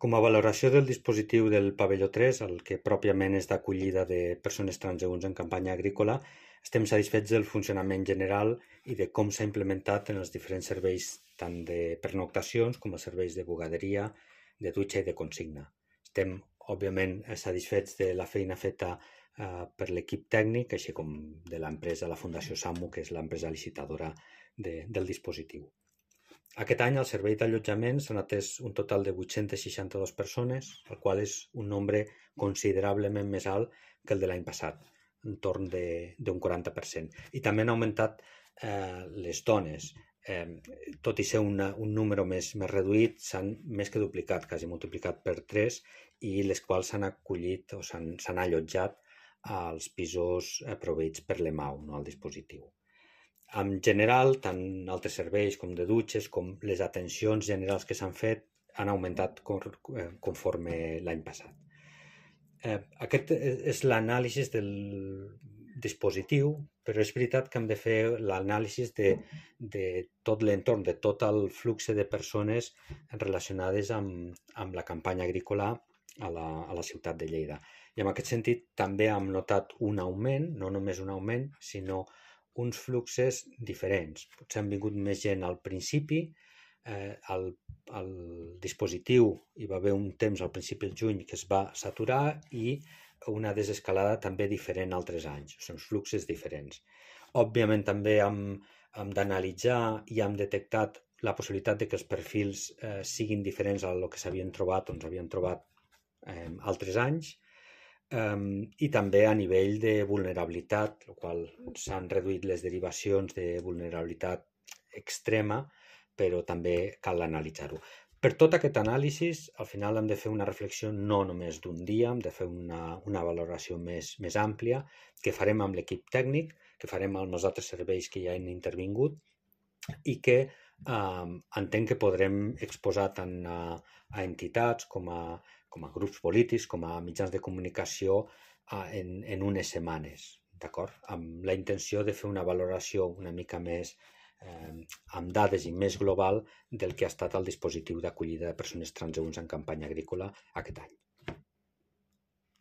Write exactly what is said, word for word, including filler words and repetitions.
Com a valoració del dispositiu del pavelló tres, el que pròpiament és d'acollida de persones transeünts en campanya agrícola, estem satisfets del funcionament general i de com s'ha implementat en els diferents serveis tant de pernoctacions com els serveis de bugaderia, de dutxa i de consigna. Estem, òbviament, satisfets de la feina feta eh, per l'equip tècnic, així com de l'empresa, la Fundació SAMU, que és l'empresa licitadora de, del dispositiu. Aquest any al servei d'allotjament s'han atès un total de vuit-centes seixanta-dues persones, el qual és un nombre considerablement més alt que el de l'any passat, entorn d'un quaranta per cent. I també han augmentat eh, les dones. Eh, tot i ser una, un número més, més reduït, s'han més que duplicat, quasi multiplicat per tres, i les quals s'han acollit o s'han allotjat als pisos eh, proveïts per l'E M A U, no al dispositiu. En general, tant altres serveis com de dutxes, com les atencions generals que s'han fet, han augmentat conforme l'any passat. Eh, aquest és l'anàlisi del dispositiu, però és veritat que hem de fer l'anàlisi de, de tot l'entorn, de tot el flux de persones relacionades amb, amb la campanya agrícola a la, a la ciutat de Lleida. I en aquest sentit també hem notat un augment, no només un augment, sinó uns fluxes diferents. Potser han vingut més gent al principi, eh, al, al dispositiu hi va haver un temps al principi del juny que es va saturar i una desescalada també diferent altres anys, són fluxes diferents. Òbviament també hem, hem d'analitzar i hem detectat la possibilitat de que els perfils eh, siguin diferents a lo que s'havien trobat o ens havien trobat eh, altres anys, Um, i també a nivell de vulnerabilitat, el qual s'han reduït les derivacions de vulnerabilitat extrema, però també cal analitzar-ho. Per tot aquest anàlisi, al final hem de fer una reflexió no només d'un dia, hem de fer una, una valoració més, més àmplia, que farem amb l'equip tècnic, que farem amb els altres serveis que ja han intervingut i que um, entenc que podrem exposar tant a, a entitats com a com a grups polítics, com a mitjans de comunicació eh, en, en unes setmanes, d'acord? Amb la intenció de fer una valoració una mica més eh, amb dades i més global del que ha estat el dispositiu d'acollida de persones transeünts en campanya agrícola aquest any.